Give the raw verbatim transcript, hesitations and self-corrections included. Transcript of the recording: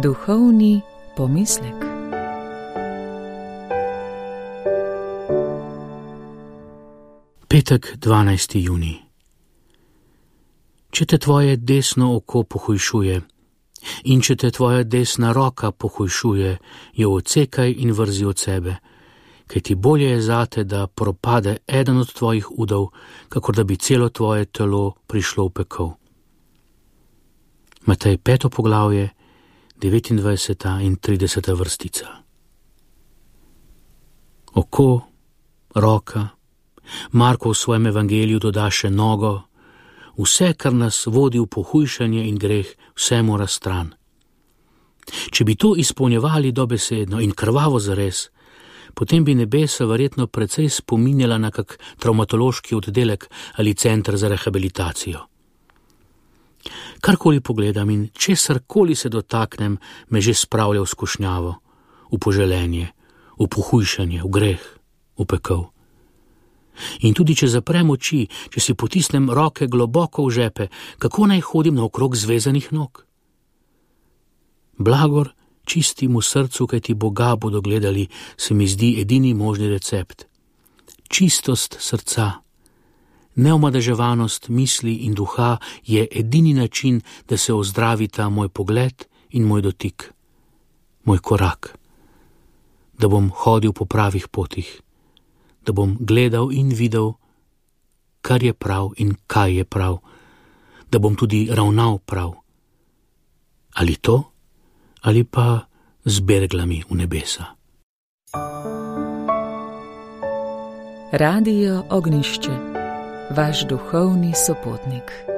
Duhovni pomislek. Petek, dvanajsti junij. Če te tvoje desno oko pohujšuje in če te tvoja desna roka pohujšuje, jo odsekaj in vrzi od sebe, kajti bolje je zate, da propade eden od tvojih udov, kakor da bi celo tvoje telo prišlo v pekel. Matej peto poglavje, devetindvajseta in trideseta vrstica. Oko, roka, Marko v svojem evangeliju doda še nogo, vse, kar nas vodi v pohujšanje in greh, vse mora stran. Če bi to izpolnjevali dobesedno in krvavo zares, potem bi nebesa verjetno precej spominjala na kak travmatološki oddelek ali center za rehabilitacijo. Karkoli pogledam in česarkoli se dotaknem, me že spravlja v skušnjavo, v poželenje, v pohujšanje, v greh, v pekel. In tudi če zaprem oči, če si potisnem roke globoko v žepe, kako naj hodim naokrog zvezanih nog? Blagor čistemu srcu, kaj ti Boga bodo gledali, se mi zdi edini možni recept. Čistost srca, neomadeževanost misli in duha je edini način, da se ozdravita moj pogled in moj dotik, moj korak, da bom hodil po pravih potih, da bom gledal in videl, kar je prav in kaj je prav, da bom tudi ravnal prav. Ali to, ali pa z berglami v nebesa. Radio Ognjišče, vaš duhovni sopotnik.